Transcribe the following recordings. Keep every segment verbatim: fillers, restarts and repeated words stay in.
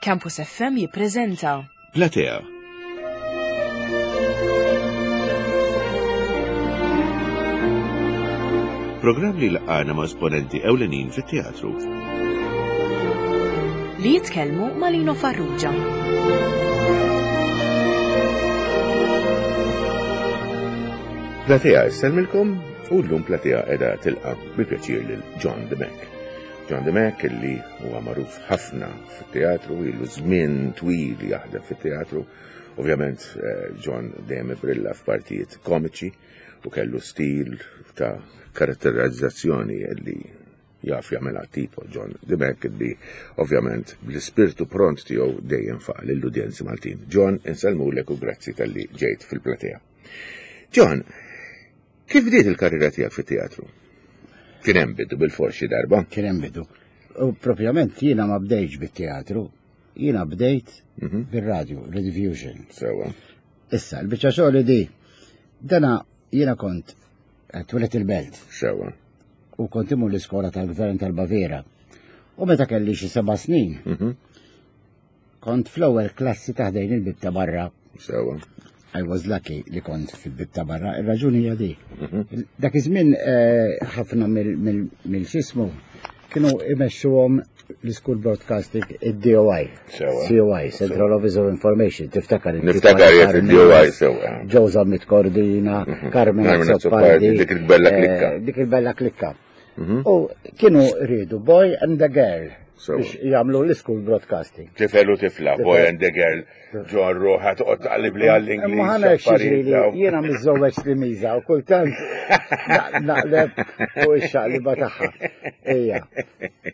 Campus F M jippreżenta Platea. Programm li laqgħana ma' esponenti ewlenin fit-teatru. Li jitkellmu ma' Lino Farrugia. Platea issellmilkom u llum Platea qiegħda tilqa' bi pjaċir lil John Dimech. John Dimech illi huwa magħruf ħafna fit-teatru, ilu żmien twil jaħdem fit-teatru. Ovvjament, eh, John dejjem ibrilla f'partijiet komiċi u kellu stil ta' karatterizzazzjoni li jaf jagħmilha tipo John Dimech illi ovvjament bl-ispirtu pront tiegħu dejjem faq lill-udjenzi Maltin. John, insellmulek u grazzi talli ġejt fil-platea. John, kif bdiet il-karriera tiegħek fit-teatru? Kien hemm bidu bil-fors xi darba? Kien hemm bidu. U propjament jiena ma bdejtx bit-teatru, jiena bdejt Mhm. bir-radju, Rediffusion. Sewa. Issa, l-biċċa xogħol di, dana jiena kont twilet il-belt. Sewa. U kont imur l-iskola tal-gvern tal-Baviera. U meta kelli xi seba' snin, Mhm. kont fl-ewwel klassi ta' ħdejn il-bib ta' barra. Sewa. I was lucky li kont fil-bib ta' barra, ir-raġuni hija di. Mhm. Dak iż-żmien, eh, ħafna mill-, mill-, mill-xismu kienu imexxuhom l-School Broadcasting, id-D O I. Sewa. C O I, Central Office of Information, tiftakar il-tip Niftakar ta' jek id-D O I, Carmen, sewa. Joe Zammit Cordina, Mhm. Carmen Carmen Azzopardi, Azzopardi, dik il-bella eh, klikka. dik il-bella klikka. Mhm. U kienu rridu boy and the girl Sewa. biex jagħmlu l-school broadcasting. Tifel u tifla, boy and the girl, John Roħa, toqgħod taqlib li għall-Ingliż, Imma ħana hekk affarijiet xiġri li dawn. jiena miżżewweġ li miża u kultant na-, naqleb u x-xaqliba tagħha. Ejja.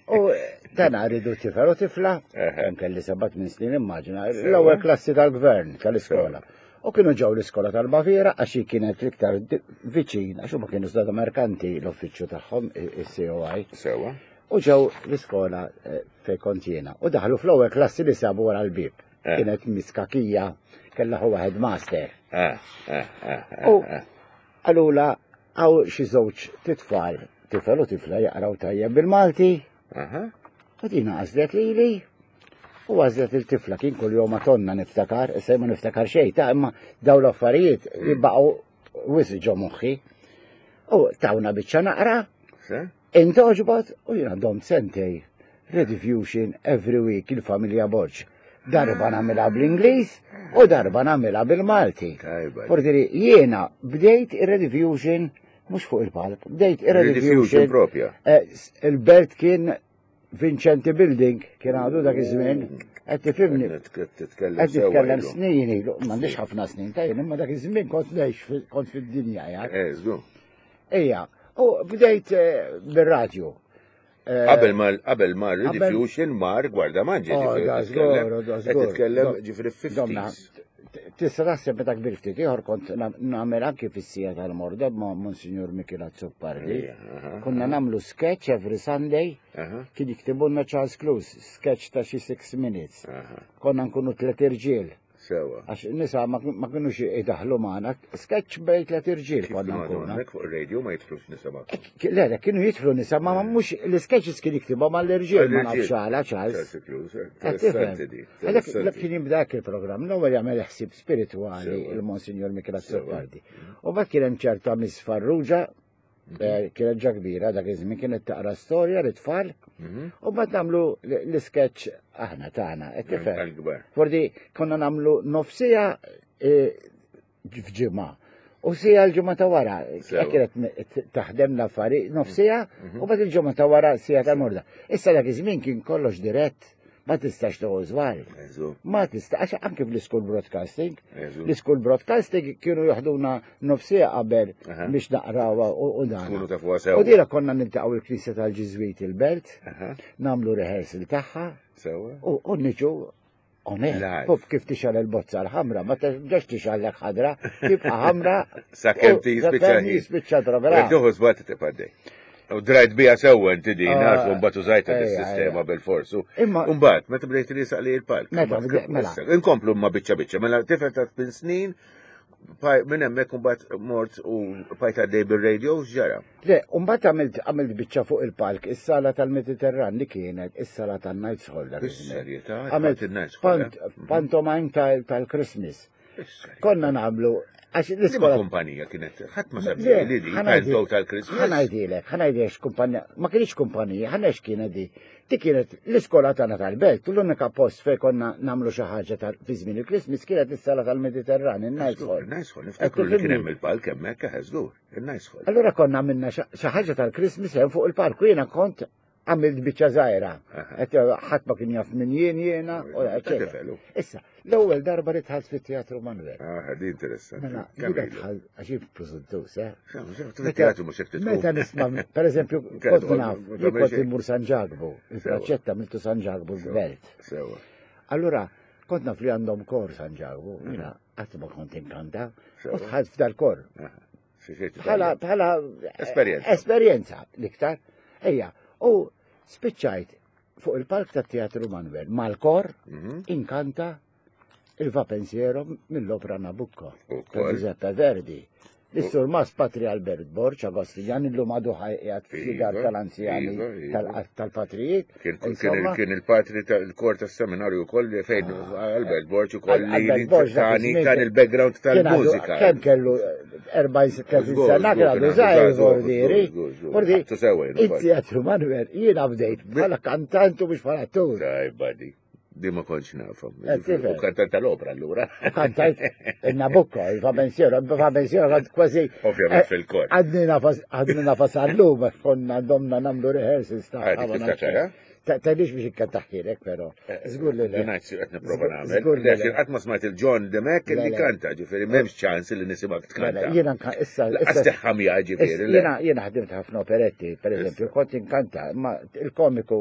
U dan rridu tifel u tifla, Eħe. kemm kelli seba' tmien snin immaġina, Sewa. l-ewwel klassi tal-gvern tal-iskola. Sewa. U kienu ġew l-iskola tal-Baviera għax hi kienet l-iktar di-, viċin, għax huma kienu żgħar merkanti l-uffiċċju tagħhom, i-, il-C O I. Sewa. U ġew l-iskola, eh, fejn kont jiena. U daħlu fl-ewwel klassi li sabu wara l-bieb. Eh. Kienet miskakija, kellha hu headmaster. Eh, eh, eh, eh, U eh. qalula hawn xi żewġ titfal, tifel u tifla jaqraw tajjeb bil-Malti. Aha. U dina għażlet lili. U għażlet il-tifla kien kull jum tonna niftakar, issa ma niftakar xejn, ta' imma daw l-affarijiet Mm. jibqgħu wisq ġo moħħi. U tawna biċċa naqra. Se? Intoġbot u jiena domt sentej. Rediffusion every week il-familja Borg. Darba nagħmilha bl-Ingliż u darba nagħmilha bil-Malti. Tajba. Fordiri, jiena bdejt ir-Rediffusion mhux fuq il-palk, bdejt Rediffusion ir-Rediffusion propja. Eh, s-, il-belt kien Vincenti Building, kien għadu dak iż-żmien. Qed tifhimni? Qed titkellem Qed sewwa titkellem ilu. snin ilu, m'għandix ħafna snin tajjeb, imma dak iż-żmien kont ngħix fil-, kont fid-dinja, ja. Eh, żgur. Ejja, u bdejt, eh, bir-radju. Eh, Qabel ma, qabel ma qabel Rediffusion mar Gwardamanġi, Oh, ġifieri da titkellem, żgur, da qed żgur. titkellem Do- ġifieri fifties. Domna, t-, tista' taħseb meta kbir ftit ieħor kont na-, nagħmel anki fis-sija tal-Morda ma' Monsignor Michel Azzopardi. Ejja, aha, Konna aha. nagħmlu sketch every Sunday. Aha. Kien jiktibulna Charles Close, sketch ta' xi six minutes. Aha. Konna nkunu tliet irġiel. Sewa. Għax nisa ma kien-, ma kienux idaħlu magħna, sketch bejn tliet irġiel Kif konna kienu għadu nkunu. hemmhekk fuq ir-radio ma jidħlux nisa magħkom? Eh, ki-, le, le, kienu jidħlu nisa, ma Eh. mhux l-sketches kien jiktibhom għall-irġiel, ma Għall-irġiel. nafx għala, Charles. Charles Close, eh, Qed tifhem. interessanti di, Għalhekk dak interessanti. kien jibda hekk il-programm, l-ewwel jagħmel ħsieb spiritwali Sewa. il-Monsignor Michel Sewa. Azzopardi. U mbagħad kien hemm ċerta Miss Farrugia, Mhm. eh, kienet ġa kbira dak iż-żmien, kienet taqra storja lit-tfal, Mhm. u mbagħad nagħmlu l-, l-sketch aħna tagħna, qed tifhem. Għall-kbar. Fordi konna nagħmlu nofsija, eh, f'ġimgħa. U sija l-ġimgħa ta' wara, Sewa. hekk kienet me-, t-, taħdem l-affari, nofsija, Mhm. u mbagħad il-ġimgħa ta' wara sija ta' morda. Issa dak iż-żmien kien kollox dirett, ma tistax toqgħod żball. Eżu. Ma tista', għax anke fl-school broadcasting, Eżu. l-school broadcasting kienu joħduna nofsija qabel Aha. biex naqrawha u, u dan. Tkunu tafuha sewa. U dira konna niltaqgħu il-Knisja tal-Ġiżwiti il-Belt, Aha. nagħmlu rehearsal tagħha. Sewa. U, u niġu on air. Live. Pop kif tixgħal il-bozza l-ħamra, ma terġax tixgħallek ħadra, tibqa' ħamra. Sakemm u tispiċċa sakemm ħin. jispiċċa l-programm. Jekk tieħu żball tibqa' għaddej. U drajt bija sewwa inti din, Ah, għax mbagħad użajta ejja, dis-sistema ejja. bil-forsu. Imma U mbagħad, meta bdejt risaq li l-palk, Meta mbagħad bdejt, mela. issa, inkomplu ma biċċa biċċa, mela tifel ta' tmien snin, Minn hemmhekk imbagħad mort u bqajt għaddej bil-radio x'ġara? Le, mbagħad għamilt għamilt biċċa fuq il-palk, is-sala tal-Mediterran li kienet is-sala tan-Knights Hall. dak iż-żmien. Bis-serjetà, Għamilt il-Knights Hall. pant- pantomime tal- tal-Christmas. Konna nagħmlu għax Liema l-iskola kumpanija kienet, ħadd ma Le, sabbi li di, ħa ngħidi- panto tal-Christmas. ħa ngħidilek, ħa ngħidilek x'kumpanija, ma kienx kumpanija, ħa ngħid x'kienet di. Di kienet l-iskola tagħna tal-belt, u l-unika post fejn konna nagħmlu xi ħaġa tal fi żmien il-Christmas kienet is-sala tal-Mediterran, il-Knights Hall. Il-Knights Hall, niftakru li kien hemm il-palk hemmhekk eħe żgur, il-Knights Hall. Allura konna għamilna xi ħaġa tal-Christmas hemm fuq il-park u jiena kont għamilt biċċa żgħira. Aha. Qed ħadd ma kien jaf min jien jiena u Ta' eċetera. tifel, Issa, l-ewwel darba li dħalt fit-Teatru Manuel. Ah, di interessanti. Mela, Kemm jiena ilu? dħalt għax jien preżuntus, eh? Fit-teatru mhux hekk Meta nisma', per eżempju, Kienet kont naf, ma jien tagħmel kont xejn. immur San Ġakbu, il-praċetta miltu San Ġakbu l-belt. Sewa. Allura, kont naf li għandhom kor San Ġakbu, jiena qatt ma kont inkanta, u Sewa. dħalt f'dal kor. Xi xejn Bħala, bħala Esperjenza. Esperjenza, l-iktar. Ejja, u spiċċajt fuq il-palk tat Teatru Manuel mal-kor Mhm. inkanta il Va Pensiero mill-opera Nabucco ta' Ukoll. Giuseppe Verdi. L-Sur Mas Patri Albert Borg, Agostinjan, illum għadu ħajqijat fl-dar Iva, tal-anzjani iva, iva. tal- tal-patrijiet. Kien kien Insomma, kien il-patri tal-kor tas-seminarju wkoll li fejn Albert Borg ukoll li Albert Borg dak tani iż-żmien tan il-background kien għadu- tal-mużika. Kemm kellu erbgħin tletin Żgur, sena, żgur, kien għadu kien għadu żgħir żgħir, żgur, vordieri. żgur, żgur. Vordi, Ħadtu sewa jien ukoll. it-Teatru Manuel, jiena bdejt bħala kantant u mhux bħala attur. Tajba di. Di ma kontx nafhom. Eh, tifhem. U kantant tal-opera allura. Kantajt il-Nabucco, il-Va Pensiero, il-Va Pensiero kont kważi. Ovvjament fil-kor. Għadni nafas, għadni nafas għallum, għax konna domna nagħmlu rehearsals ta' Ah, dik tiftakar, eh? Tgħidlix biex ikkantaħkilek, però. Żgur li le. Dunajt si qed nipprova Żgur- nagħmel. żgur li le. Lekin qatt ma smajt il-John Demek Le, li le. kanta, ġifieri m'hemmx ċans li nisimgħek Mela, tkanta. Jiena nka- issa, Laqas issa, teħħamja ġifieri. le. jiena jiena ħdimt ħafna operetti, per eżempju, kont inkanta, ma il-komiku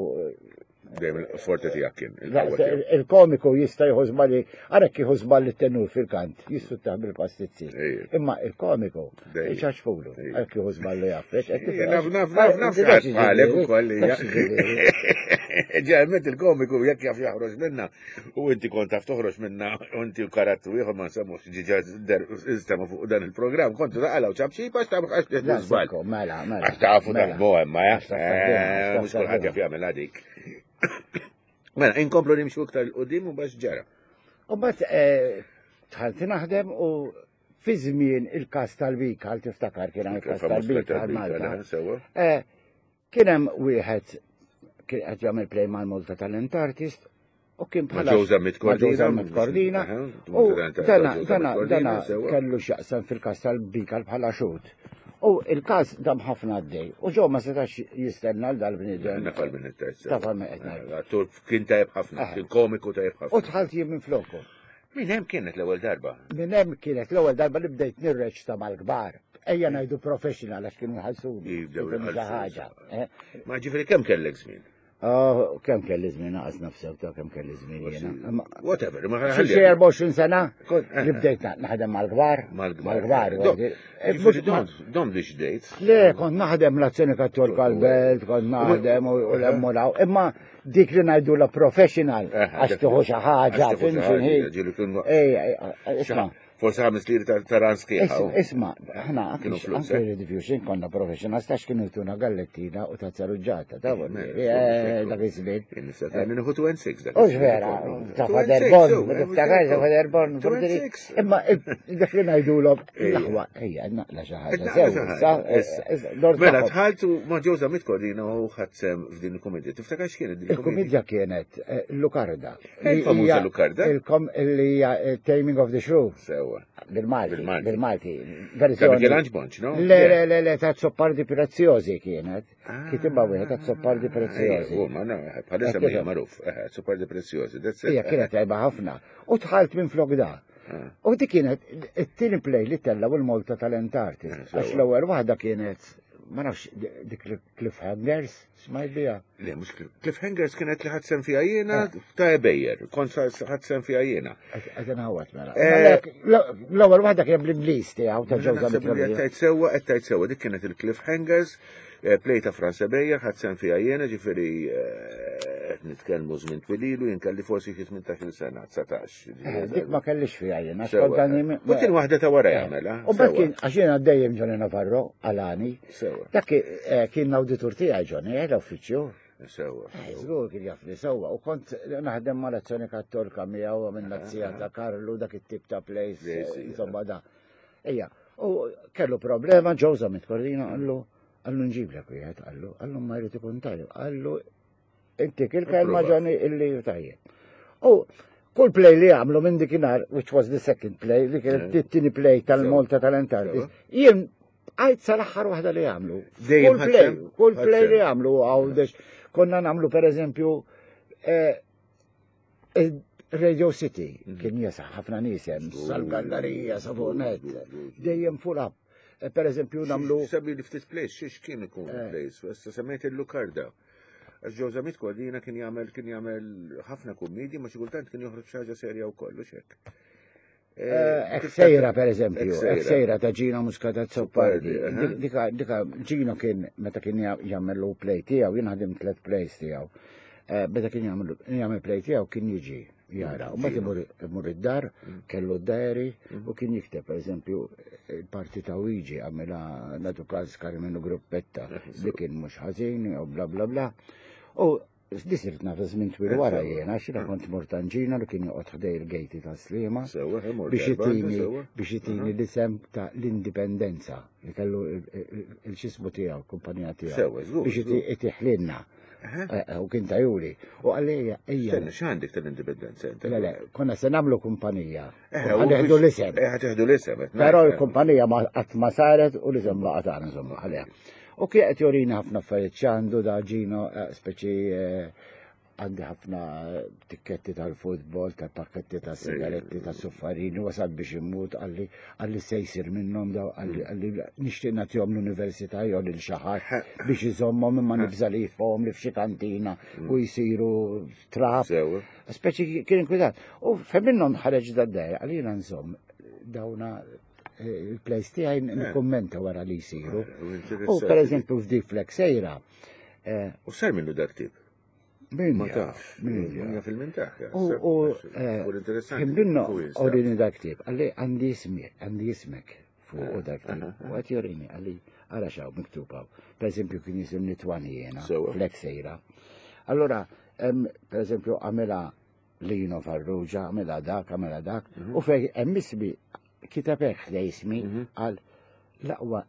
Dejjem il-forte tiegħek kien. La, il-qawwa tiegħek. il-komiku jista' jieħu żballi, ara kieħu żballi t-tenur fil-kant, jistuttaħ bil-pastizzi. Ejja. Imma il-komiku, Dejjem. iċaċfulu, Ejja. għal kieħu żballi jaffex. Ejja, Naf, naf, naf, naf, naf, għalek u koll. Ġalment il-komiku jekk jaf jaħroġ minna u inti kont taf toħroġ minna u inti u karattru ieħor ma nsemmux ġiġa istema fuq dan il-programm kontu taqalgħu ċabċipa għax taf għax La, żball. sekko, mela, mela. Għax tafu mela. taħdmu hemm, Għax taf taħdmu, għax taf mhux kulħadd taħdmu. jaf jagħmel għadik. Mela, inkomplu nimxu iktar 'l quddiem u bax ġara. U bat dħalt naħdem u fi żmien il-kas tal-Bika, għal tiftakar kien hemm il-kas Il-famuż tal-Bika tal-Bika, għal Malta. Sewa. Eh, Kien hemm wieħed kien qed jagħmel play mal-Malta Talent Artist u kien Ma' bħala Joe Zammit ma' Joe Cordina. Zammit Cordina. Aha, U Talent- dana Joe dana Zammit Cordina, dana sewa. kellu x'jaqsam fil-kas tal-Bika bħala xut. U il-kas dam ħafna għaddej. U ġo ma setax jistenna l dal-bniedem. Nafal minn it-tajt. Tafal minn qed ngħid. Attur kien tajb ħafna, Aha. kien komiku tajb U ħafna. dħalt jien minn floku. Min hemm kienet l-ewwel darba? Minn hemm kienet l-ewwel darba li bdejt nirreċta mal-kbar. Ejja ngħidu professional għax kienu jħallsuni. Jibdew Kienu xi jħallsu. ħaġa. eh. Ma ġifieri kemm kellek żmien? Oh, kemm kelli żmien naqas nafsew ta' kemm kelli żmien jiena. Imma- Whatever, ma Xi ħalli. xi erbgħa u għoxrin sena Kont- eh, li bdejt na- naħdem mal-kbar. Mal-kbar. Mal-kbar. Do- eh, Ġifieri mhux- ma- dom, dom li xdejt. Le, kont naħdem l-azzjoni kattolika l-belt, kont naħdem u u l-emmu law. Imma dik li ngħidu la professional, Eh, għax tieħu xi ħaġa, Għax tieħu xi fim ħaġa, x'inhi. ġieli kien- Ej, ej, isma' Forse ħames liri ta' ta' ran sħiħa. Is- Isma, ħna Kienu anke flus, anke eh? Rediffusion konna professional, stax kienu jtuna gallettina u tazza ruġġata, ta' Mela, eh, dak iż-żmien. Jien nista' nieħu two and six dak. U vera, ta' Father Bon, ma tiftakar ta' Father Bon, Two and six. Imma dak li ngħidulhom Ejja. l-aħwa, ejja, naqla xi ħaġa. Naqla sew, xi ħaġa, sa, issa. eh, eh, dor Mela tagħhom. dħaltu ma' Joe Zammit Cordina u ħadd sem f'din il-kumedja. Tiftakar x'kienet din il-kumedja? Il-kumedja kienet eh, Lucarda. Eh, Li il-famuża hija Lucarda? il-kom- Li hija eh, Taming of the Shrew. Sewa. Bil-Malti. Bil-Malti. Bil-Malti. Ta' Verżjoni. Michelangelo Bonċ, no? Le, le, le, le, ta' Zoppardi Preziosi kienet. Ah. Kitibha wieħed ta' Zoppardi Preziosi. Ejja, ma no, bħalissa Eh, mhija kif? magħruf. Eh, Zoppardi Preziosi, that's it. Hija kienet tajba ħafna. U dħalt minn flok da. Ah. U di kienet it-tieni play li tellaw il-Malta Talent Artist. Eh, sewa. Għax l-ewwel waħda kienet, ma nafx, dik Cliffhangers, smajt biha. Le, mhux Cliff- Cliffhangers kienet li ħadd sem fiha jiena ta' Ebejer, kont ħadd sem fiha jiena. Qed inħawat mela. Eh, Mela, L-ewwel waħda kienet bl-Ingliż tiegħu ta' Joe Naħseb li qed Zammit. tgħid sewwa, qed tgħid sewwa, dik kienet il-Cliffhangers, eh, play ta' Franz Ebejer, ħadd sem fiha jiena, ġifieri eh, Qed nitkellmu żmien twil ilu, jien kelli forsi xi tmintax-il sena, dsatax. Eh, Dik ma kellix fiha jien, għax Sewa. kont għandi- U kien waħda ta' wara jagħmel, U mbagħad kien, għax jiena dejjem Johnny Navarro, għalani. Sewa. Dak eh, kien l-awditur tiegħi Johnny, eh, l-uffiċċju. Sewa. Eh, Żgur kien jaf li sewwa. U kont naħdem mal-Azzjoni Kattolika miegħu minn zija ta' Karlu, dak it-tip ta' plays, Plays, eh, ija. insomma da. Ejja, u kellu problema Joe Zammit Cordina, qallu, qallu nġiblek wieħed, qallu, qallu ma jrid ikun tajjeb, qallu inti il-kelma Approvat. Johnny illi tajjeb. U kull play li għamlu minn dikinhar, which was the second play, li kienet Eh. it-tieni play tal-Malta Talent Artist, jien għajt sal-aħħar waħda li għamlu. Dejjem Kull play, ħadsem? kull play li Ħadsem. għamlu għawdex. Konna nagħmlu per eżempju eh, eh, Radio City kien jesa ħafna nies hemm sal-gallerija sa fuq net, dejjem full up. Eh, Per eżempju nagħmlu Sabi li ftit plays, xiex kien ikun Eh. plays, issa semmejt il-Lukarda. Għax Joe Zammit Cordina kien jagħmel kien jagħmel ħafna kummedji, ma xi kultant kien joħroġ xi ħaġa serja wkoll, u xek. Eh, Eksejra per eżempju, Eksejra. Eksejra ta' Gino Muscat Azzopardi. Azzopardi, eh. Dika, dika Gino kien, meta kien jagħmel play tiegħu, jien ħadim tliet plays tiegħu. Eh, Meta kien jagħmel jagħmel play tiegħu kien jiġi jara. U mbagħad imur imur id-dar, kellu d-diary u kien jikteb per eżempju il-parti ta' Luigi għamilha natu każ Karmenu Gruppetta li kien mhux ħażin u bla bla bla. U di sirt naf żmien twil wara jiena, għax jiena kont mort għand Gino li kien joqgħod ħdej il-gejti ta' Sliema Sewa, imur biex darba, jitini sewa. biex jitini l-isem ta' l-indipendenza li kellu il-xismu tiegħu, kumpanija tiegħu. Sewa, żgur, Biex żgur. itiħlinna. Eh, eh, U kien tajuli. U għalli ejja, ejja. Stenna, x'għandek tal-indipendenza inti? Le, le, konna se nagħmlu kumpanija. Eh, U ħaneħdu l-isem. Eh, ħa teħdu l-isem. qed Però ngħid. l-kumpanija ma qatt ma saret u l-isem baqa' tagħna insomma ħalliha. U kien qed jorina ħafna affarijiet x'għandu da Gino, eh, speċi eh, għandi ħafna tikketti tal-futbol, tal-pakketti tal-sigaretti, tal-suffarini, wasal biex immut, qalli qalli se jsir minnhom daw, qalli qalli nixtieq nagħtihom l-università jew lil xi ħadd biex iżommhom imma nibża li jitfgħuhom li f'xi kantina u jsiru trab. Sewa. Speċi kien inkwitat. U fejn minnhom ħareġ dad-dajja, għalina nżomm dawna eh, il-plays tiegħi nikkummenta wara li jsiru. U per eżempju f'dik fl-Eksejra, eh, U sar minnu dak tip? min Ma jaf, tafx. min Min jaf. jaf il-mintaħ. U u eh, U interessanti. kien minnu Hu jinstab. orini dak tip, qalli għandi ismi, għandi ismek fuq u dak tip. U għat jorini, qalli għara xaw miktub hawn. Per eżempju kien jisimni Twani jena, Sewa. fl-Eksejra. Allora, em, per eżempju, għamela Lino Farrugia, għamela dak, għamela dak, u fej hemm ismi kiteb hekk ħdej ismi għal l-aqwa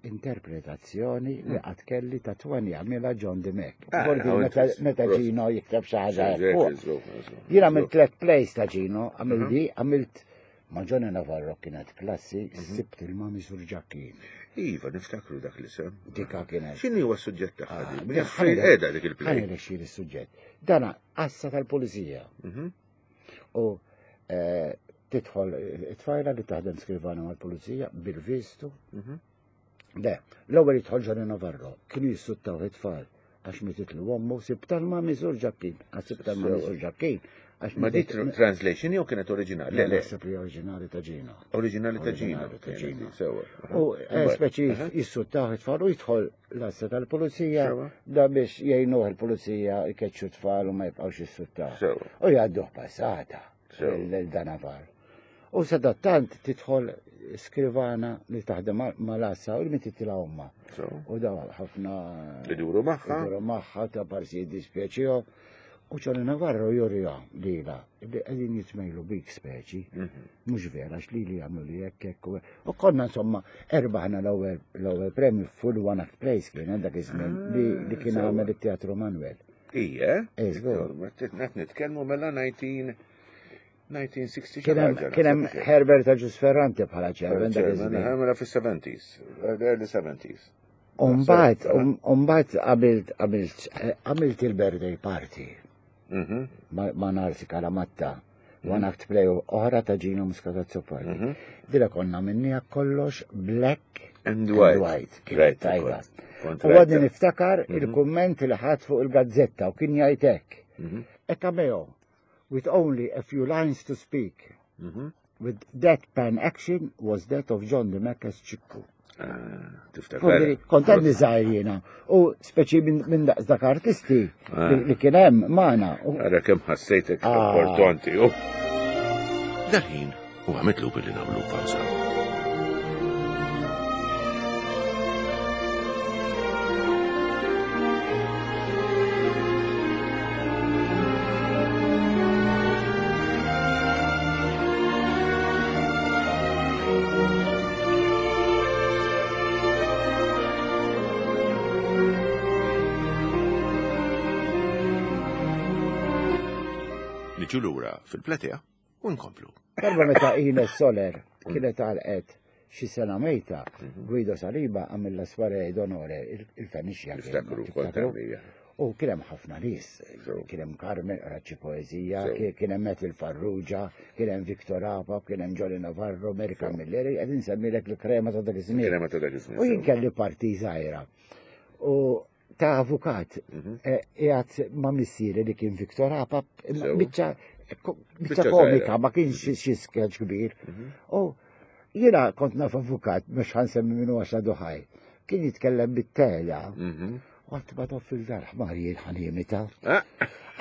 interpretazzjoni li qatt kelli ta' Twani għamela John Dimech. Ah, Vordi how meta interesting. meta Prosit. Gino jikteb xi ħaġa hekk Żgur, fuq. żgur, żgur. Jien għamilt tliet plays ta' Gino, għamilt di, għamilt ma' Johnny Navarro kienet klassi, sibt il-Mami Surġakkin. Iva, niftakru dak l-isem. Dika kienet. X'inhi huwa s-suġġett tagħha Ah, di? dik- Fejn qiegħda dik il-play? Ħa ngħidlek il-suġġett. Dana għassa tal-pulizija. Mhm. U eh, tidħol it-tfajla li taħdem skrivana mal-pulizija bil-vistu. Mhm. Le, l-ewwel jidħol Johnny Navarro, kienu jissuttaw it-tfal għax mititlu ommu sibt tal-Mami Surġakkin, għax sibt tal-Mami Surġakkin. Għax Ma di mitit- tr- translation jew kienet oriġinali? Le, le, naħseb li oriġinali ta' Gino. oriġinali ta' Gino. Oriġinali ta' kienet Gino. di, Sewa. U eh, Mbagħad, speċi aha. jissuttaw it-tfal u jidħol l-għassa tal-pulizija Sewa. da biex jgħinuh il-pulizija jkeċċu tfal u ma jibqgħux jissuttaw. Sewa. U jgħadduh passata Sewa. l-danavar. U sadattant tidħol skrivana li taħdem mal-għassa u li mititla omma. Sewa. U daw ħafna Iduru magħha. Iduru magħha ta' parsi jiddispjaċihom. U Johnny Navarro jurija lila li qegħdin jitmejlu bik speċi. Mhm. Mhux vera għax li li jagħmlu li hekk hekk u hekk. U konna insomma erbaħna l-ewwel l-ewwel premju full one act plays kien dak iż-żmien li li kien sewa. għamel it-Teatru Manuel. Ija? Eh, żgur. Qed nitkellmu mela nineteen nineteen sixty Kien hemm kien hemm Herbert Agius Ferrante bħala chairman dak iż-żmien. Mela fis-seventies, early seventies. Umbagħad umbagħad għamilt għamilt għamilt il-birthday party Mhm. ma ma Narsi Kalamatta. One act play oħra ta' Gino Muscat Azzopardi. Mhm. Dila konna minnija kollox black And white. Kienet Right, tajba. kont U għadni rajta. niftakar il-kumment li ħadd fuq il-gazzetta u kien jgħid hekk. Mhm. A cameo with only a few lines to speak. Mhm. With deadpan action was that of John Dimech as Ċikku. Ah, Kont għadni żgħir jiena. U speċi minn daqs dak artisti li kien hemm magħna. Ara kemm ħassejtek importanti. Dal-ħin huwa mitlub li nagħmlu pawża. Niġu lura fil-platea u nkomplu. Darba meta Ines Soler kienet għalqet xi sena mejta, Guido Saliba għamilla soirée d'onore il-Fenixja. Niftakru kont. U kien hemm ħafna nies, kien hemm Carmen Raċċi Poeżija, kien hemm Metil Farrugia, kien hemm Victor Apap, kien hemm Johnny Navarro, Mary Camilleri, qed insemmilek il-krema ta' dak iż-żmien. Krema ta' dak iż-żmien. U jien kelli parti żgħira. U ta' avukat, qiegħed ma' missieri li kien Victor Apap, biċċa biċċa komika, ma kienx xi sketch kbir. U jiena kont naf avukat, mhux ħansemmi minnu għax għadu ħaj, kien jitkellem bit-tela. U għat ma tof fil-dar ħmar jien ħanimita.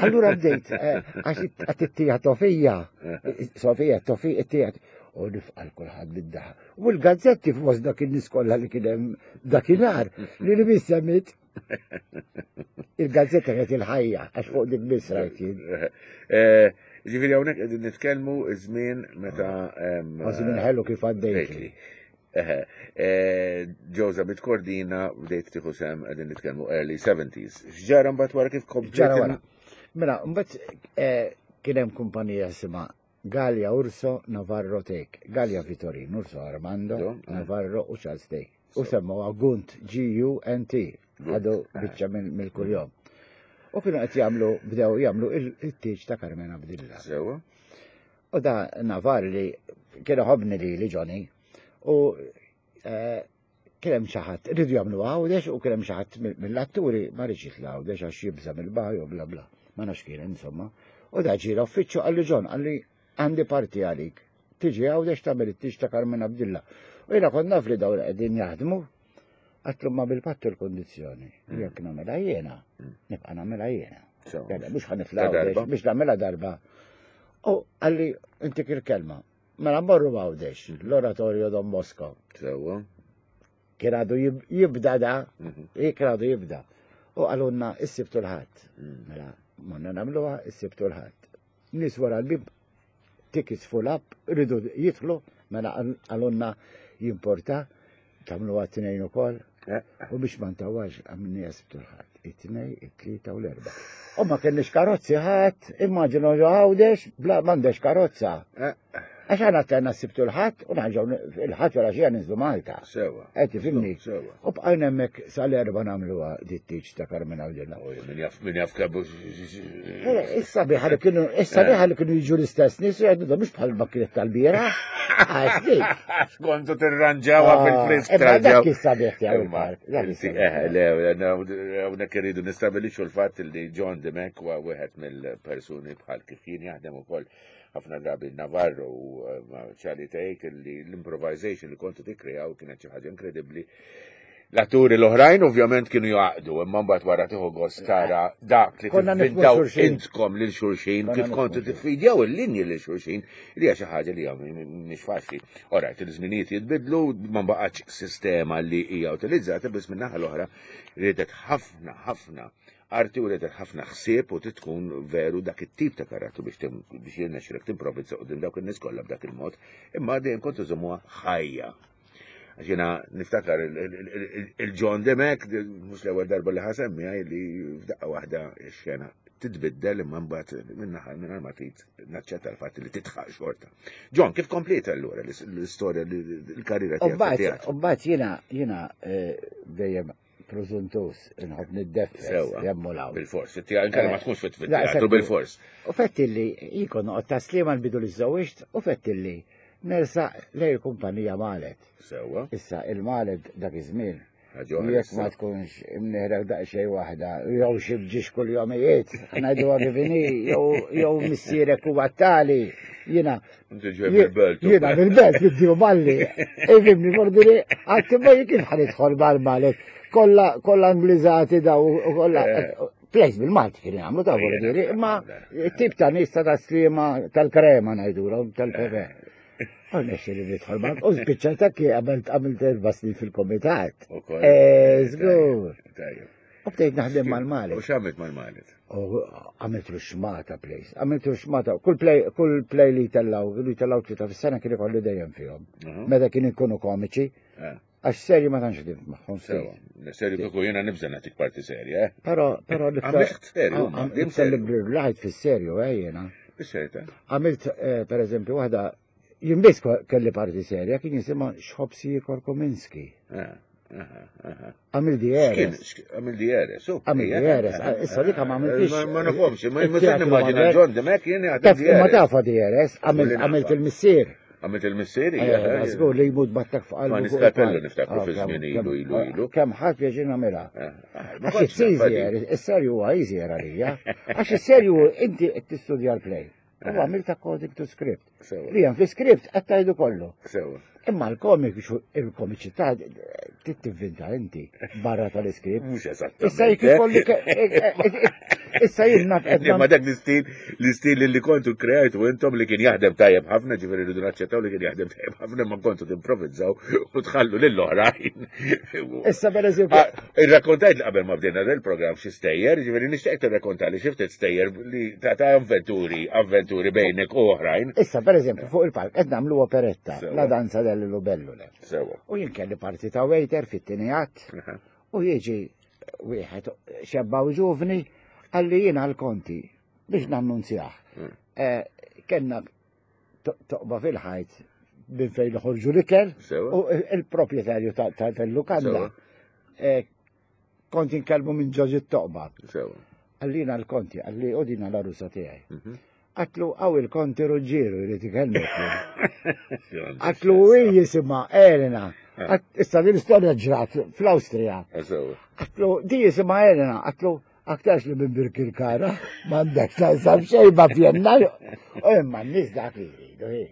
Allura bdejt, għax għat it-tija Tofija, Sofija, Tofija, it-tija, u nifqal kulħadd bid-daħ. U l-gazzetti f'most dak in-nies kollha li kien hemm dakinhar li li bissemmit. Il-gazzetta kienet il-ħajja, għax fuq dik biss rajt jien. Ġifieri hawnhekk qegħdin nitkellmu żmien meta. Żmien ħelu kif għaddejt. Ġewża bit-Kordina bdejt tieħu sehem qegħdin nitkellmu early seventies. X'ġara mbagħad wara kif kompliet? Ġara wara. Mela, mbagħad kien hemm kumpanija jisimha Gallia Urso Navarro Take. Gallia Vittorin, Urso Armando, Navarro u Charles Take. U semmuha Gunt, G U N T. Għadu biċċa mill-kuljom. U kienu qed jagħmlu, bdew jagħmlu il-tieġ ta' Carmen Abdilla. Sewa. U da Navarro li kien ħobni li li Johnny u kien hemm xi ħadd iridu jagħmlu Għawdex u kien hemm xi ħadd mill-atturi ma rridx jitla' Għawdex għax jibża' mill-baħar u bla bla. Ma nafx kien insomma. U da ġie l-uffiċċju qalli John, qalli għandi parti għalik. Tiġi Għawdex tagħmel it-tieġ ta' Carmen Abdilla. U jiena kont naf li dawn qegħdin jaħdmu. Għatlu ma bil-pattu l-kondizjoni, jekk nagħmilha jiena, nibqa' nagħmilha jiena. Mhux ħanitla' biex nagħmilha darba. U qalli intik il-kelma, mela mmorru Għawdex, l-Oratorio Don Bosco. Sewwa. Kien għadu jibda da, kien għadu jibda. U qalulna is-Sibt u l-Ħadd. Mela morna nagħmluha is-Sibt u l-Ħadd. Nies wara l-bib tickets full up, iridu jidħlu, mela qalulna jimporta, tagħmluha t-tnejn ukoll. U biex ma ntawax għamilni Sibt u l-Ħadd, it-tnejn, it-tlieta u l-erba'. U ma kenniex karozzi ħadd, immaġinu Għawdex bla m'għandex karozza. Għax aħna tlajna s-Sibt u l-Ħadd u nerġgħu il-Ħadd wara xi ninżlu Malta. Sewa. Qed tifhimni? Sewa. U bqajna hemmhekk sal-erba' nagħmluha dit-tieġ ta' Carmen Abdilla. Min jaf min jaf kemm. Issa biħa li kienu issa biħa li kienu jiġu l-istess nies jgħidu da mhux bħal makinet tal-bieraħ. Għax dik. Għax kontu tirranġawha fil-frisk tarġaw. Dak is-sabiħ tiegħu il-park. Eh, le, hawnhekk irridu nistabilixxu l-fatt li John Dimech huwa wieħed mill-persuni bħal kif jien jaħdem ukoll ħafna drabi Navarro u Charlie Take li l-improvisation li kontu tikkrejaw kienet xi ħaġa inkredibbli. L-atturi l-oħrajn ovvjament kienu jaqdu, imma mbagħad wara tieħu gost tara dak li tivvintaw intkom lil xulxin, kif kontu tiffidjaw il-linji lil xulxin, li hija xi ħaġa li hija mhix faċli. Orajt, il-żminijiet jitbidlu, ma baqgħetx sistema li hija utilizzata, biss min-naħa l-oħra riedet ħafna ħafna arti u riedet ħafna ħsieb u tkun veru dak it-tip ta' karattru biex biex jirnexxilek timprovizza quddiem dawk in-nies kollha b'dak il-mod, imma dejjem kontu żommuha ħajja. Għax jiena niftakar il-John Dimech, mhux l-ewwel darba li ħasemmi li f'daqqa waħda x-xena titbiddel imma mbagħad min-naħa mingħajr ma trid naċċetta l-fatt li titħaq xorta. John, kif kompliet allura l-istorja, l-karriera tiegħek? U mbagħad jiena jiena dejjem preżuntus inħobb niddeffes jemmu law. Bil-fors, inkella ma tkunx fit-teatru bil-fors. U fettilli jikon noqgħod taslima nbidu li żewġt u fettilli nersa lej kumpanija Malet. Sewwa. Issa il-Malet dak iż-żmien Ħaġa oħra Jekk ma issa. tkunx imneħrek daqsxejn waħda, jew xi bġiex kull jomijiet, ngħidu kif inhi, jew jew missierek huwa tali, jiena Inti ġej mill-belt. Jiena mill-belt biddi balli. Ifhimni fordiri, għatti ma kif ħa nidħol mal-Malek. Kolla kolla Angliżati daw u kolla. Plays bil-Malti kien jagħmlu ta' vordiri, imma tip ta' nies ta' taslima tal-krema ngħidulhom tal-pepe. U nexxi li nidħol ma' u spiċċajt hekk għamilt għamilt erba' snin fil-komitat. Ukoll. Eh, żgur. Tajjeb. U bdejt naħdem mal-Malek. U x'għamilt mal-Malek? U għamilt ruxmata plays, għamilt ruxmata, kull play, kull play li tellaw, li tellaw tlieta fis-sena kien ikolli dejjem fihom. Meta kien ikunu komiċi, Eh, għax serji ma tantx ħdimt magħhom Sewa. ftit. Serju kieku jiena nibża' nagħtik parti serja, eh? Però, però Għamilt serju, ma, dim l-iktar li serju. brillajt fis-serju, eh, jiena. Bis-serjetà. Għamilt, eh, per eżempju, waħda, jien biss kelli parti serja, kien jisimha Xħobsi Korkominski. Eh, aha, aha. Għamil Kien, D R S. għamil D R S, u. Għamil D R S, issa dik ma għamiltix. Ma ma nafhomx, ma ma Il-teatru nimmaġina Manuel. John Demek jien għad Taf, ma D R S. tafa D R S, għamilt Kulli għamilt nafa. il-missier. Għamilt il-missieri? Eh, Żgur li jmut battak fuq qalbu. Ma fuq niskapellu il-palk. niftakru Ah, fi kemm- żmien kemm- ilu, ilu, ilu. Kemm ħadd pjaċir nagħmilha. Eh, ah, ma Għax kontx it's easier, nafa di. is-serju huwa easier għalija. Għax is-serju inti qed tistudja l-play. U għamilt according to script. Sewa. Li hemm fi script qed tgħidu kollu. Sewa. Imma l-komik, il-komiċità tivvinta inti barra tal-iskript. Mhux eżattament. Issa jekk ikolli ke- eh, eh, eh, issa jien naf qed Ma dak l-istil, l-istil li kontu kreajtu intom li kien jaħdem tajjeb ħafna, ġifieri rridu naċċettaw li kien jaħdem tajjeb ħafna, ma kontu timprovizzaw u tħallu lill-oħrajn. Issa per eżempju, Ah, Irrakkontajt li qabel ma bdejna del program xi stejjer, ġifieri nixtieq tirrakkonta li xi ftit stejjer li ta' ta' avventuri, avventuri bejnek u oħrajn. Issa per eżempju fuq il-palk qed nagħmlu operetta, Sewa. La danza dell'Lubellule. Sewa. U jien kelli parti ta' waiter fit-tieni att Aha. u jiġi wieħed xebba u ġuvni għalli jiena l-konti biex nannunzjah. Mm. Eh, Kenna to- toqba fil-ħajt minn fejn noħorġu l-ikel Sewa. u il-proprjetarju ta- ta- tal-lukanda. Sewa. Eh, Kont inkellmu minn ġoġi t-toqba. Sewa. Għallina l-konti, għalli u dina l-arusa tiegħi. Mhm. Għatlu għaw il-konti Ruġġieru jrid ikellmek. Għatlu u jisimha Elena. Għat- Issa din l-istorja ġrat fl-Awstrija. Sewa. Għatlu di jisimha Elena, għatlu aktarx li minn Birkirkara, m'għandek taqsam xejn ma Vjenna. U imma n-nies dak li jridu, hi.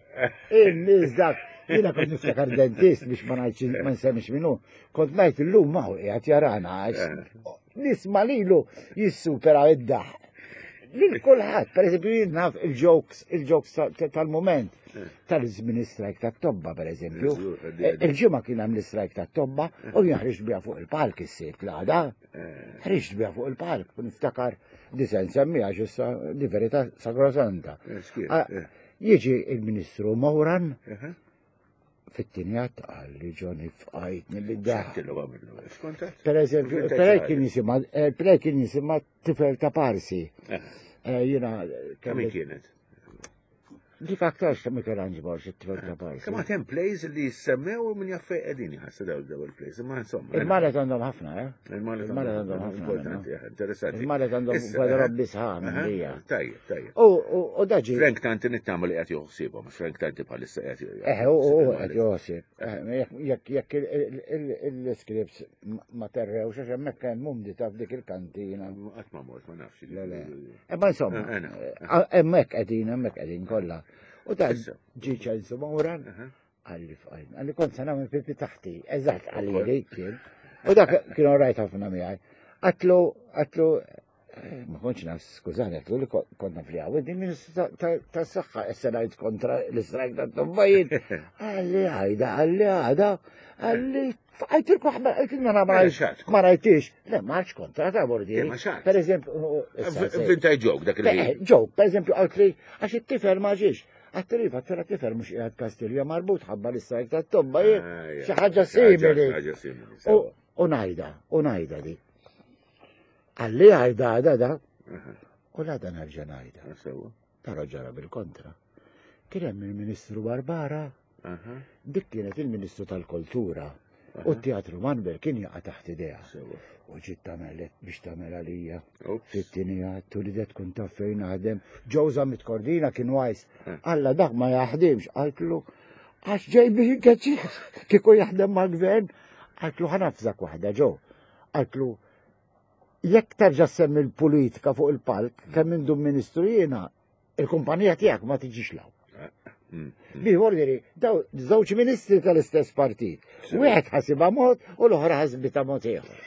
In-nies dak. Jiena kont niftakar dentist biex ma ngħidx ma nsemmix minnu. Kont ngħid illum ma hu qiegħed jarana għax nisma' lilu jissupera id-daħ. Lil kulħadd, per eżempju, jien naf il-jokes, il-jokes ta- tal-moment, tal-żmien strike tat-tobba, per eżempju. Żgur, għaddi, għaddi. Il-ġimgħa kien hemm l-istrajk tat-tobba u jien ħriġt biha fuq il-palk is-sibt l-għada. Ħriġt biha fuq il-palk, u niftakar di se nsemmiha issa di verità sagrosanta. Eh, xkien, Ah, eh. Jiġi il-Ministru Moran Aha. fit-tieni att għalli Johnny fqajtni li daħ. X'tillu għamillu? X'kont għedt? Per eżempju, Inventajt per xi kien ħaġa. jisimha, eh, play kien jisimha Tifel ta' Parsi. Eh, Eh, Jiena Kemm kelli kienet? Dik aktarx ta' Michelangelo it-tifel ta' Parsi. Kemm għad hemm plays li jissemmew u min jaf fejn qegħdin jħassu daw daw il-plays, imma insomma. Il-Malet għandhom ħafna, eh? Il-Malet Il-Malet għandhom ħafna. Importanti, eh, interessanti. Il-Malet għandhom Issa, gwadrobbi eh, sħan aha, lija. Tajjeb, tajjeb. U u- u daġi. Frank Tanti nittama li qed joħsibhom, Frank Tanti bħalissa qed Eh, u u qed joħsib. Eh, Jekk jekk il-scripts ma terrewx għax hemmhekk hemm mumdi ta' f'dik il-kantina. Qatt ma mort, ma nafx. Le, le. Imma insomma, Eh, eh, no. eh, hemmhekk qegħdin, hemmhekk qegħdin kollha. U ta' Issa. ġi ċensu Mawran, Aha. għalli fqajn, għalli kont se nagħmel pipi taħti, eżatt għalli li kien. U dak kien rajt ħafna miegħi. Għatlu, għatlu, eh, ma kontx naf, skużani, għatlu li kont naf li għaw, din ministru ta' saħħa, issa ngħid kontra l-istrajk ta' tombajiet. Għalli għajda, għalli għada, għalli għajtilku għajtilna ma Mela xat. ma rajtix. Le, ma rajtx kontra ta' bordi. Eh, ma xat. Per eżempju, issa se- Vintaj joke dak Eh, il-ħin. Joke, per eżempju, għalt li, għax it-tifel ma ġiex. Għat-tarifa, għat tifel mux qiegħed Kastilja marbut ħabba l-istrajk ta' tobba, Ah, ja. xi ħaġa simili. Ħaġa simili. U sewa. u najda, u najda di. Għalli għajda għada da, Aha, u la dan nerġa' najda. Sewa. Però ġara bil-kontra. Kien hemm il-Ministru Barbara, Aha, dik kienet il-Ministru tal-Kultura. U t-Teatru Manbel kien jaqa' taħt idea. sewa. U ġiet tagħmel biex tagħmel għalija. Ups. Fit-tieni għattu li tkun taf fejn naħdem. Ġewża mitkordina kien wajs. Alla dak ma jaħdimx, qaltlu għax ġej biex inkeċċi kieku jaħdem mal-gvern. Għaltlu ħa nafżak waħda ġo. Għaltlu jekk terġa' semmi l-politika fuq il-palk, kemm indum ministru jiena, il-kumpanija tiegħek ma tiġix law. Mm. Bi ordini, daw żewġ ministri tal-istess partit. Wieħed ħasibha mod u l-oħra ħasbitha mod ieħor.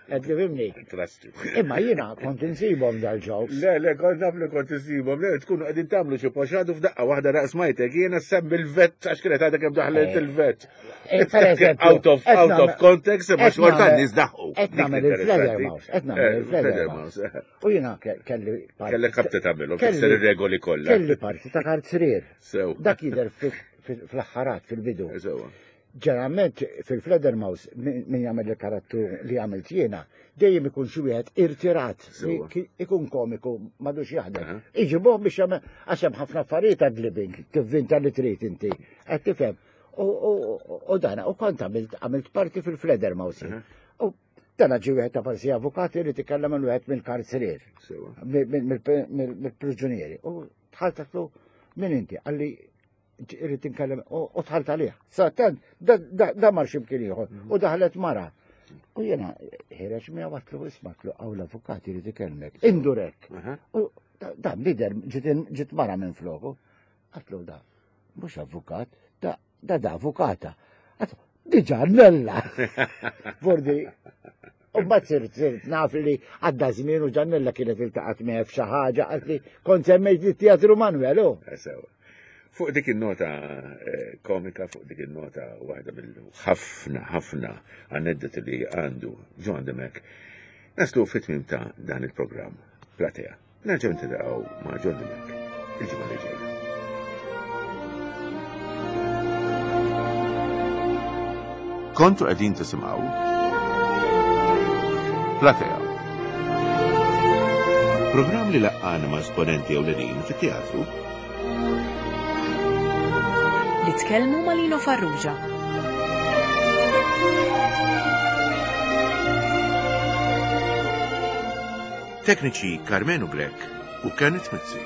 Qed tifhimni? Trust you. Imma jiena kont insibhom dal-jokes. Le, le, kont naf li kont isibhom, le, tkunu qegħdin tagħmlu xi poxadu f'daqqa waħda raqs majtek, jiena semmi l-vet għax kienet għadha kemm daħlet Eh, il-vet. Eh, Per eżempju, Out of, qed out of nagħmel- context, imma qed xorta nagħmel- n-nies daħqu. Qed Dik nagħmel interessanti. il-Fledermaus, qed nagħmel Eh, il-Fledermaus. Fledermaus. U jiena ke- kelli parti. Kellek ħabta tagħmilhom, kelli- tikser ir-regoli kollha. Kelli parti ta' karzier. Sew. Dak jidher fi- fi- fl-aħħarat fil-bidu. Sewa. Ġeneralment fil-Fledermaus min min jagħmel il-karattru li għamilt jiena, dejjem ikun xi wieħed irtirat, li Sewwa. ki- ikun komiku m'għadux jaħdem. Aha. Iġibuh biex jagħmel għax hemm ħafna affarijiet ad living, tivvinta li trid inti. Qed tifhem. U- U u dana, u kont għamilt għamilt parti fil-Fledermaus. Aha. U dana ġi wieħed ta' parsi avukati li tikellem minn wieħed mill-karcerier Sewa. mill-priġunieri. U dħalt għatlu, min inti? Għalli irrid inkellem u u dħalt għalih. Sattant, da, da, da mar ximkien ieħor u daħlet mara. U jena ħireġ mi għatlu ismatlu għaw l-avukat irid ikellmek. Indurek. Aha. U da- da lider ġiet in- ġiet mara minn floku. Għatlu da, mhux avukat, da da da avukata. Għatlu, diġà nella. Vordi, U mbagħad sirt sirt naf li għadda żmien u ġannella kienet iltaqgħet miegħi f'xi ħaġa qalt li kont semmejt li teatru Manuel u. Eh, Sewa. Fuq dik il-nota eh, komika, fuq dik il-nota waħda mill-ħafna, ħafna aneddoti li għandu John Demek, naslu fit-tmim ta' dan il-programm Platea. Nerġgħu ntilaqgħu ma' John Demek il-ġimgħa li ġejja. Kontu qegħdin tisimgħu Platea. Programm li laqqana ma' esponenti ewlenin fit-teatru Li tkellmu ma' Lino Farrugia. Tekniċi Carmenu Grek u Kenneth Mizzi.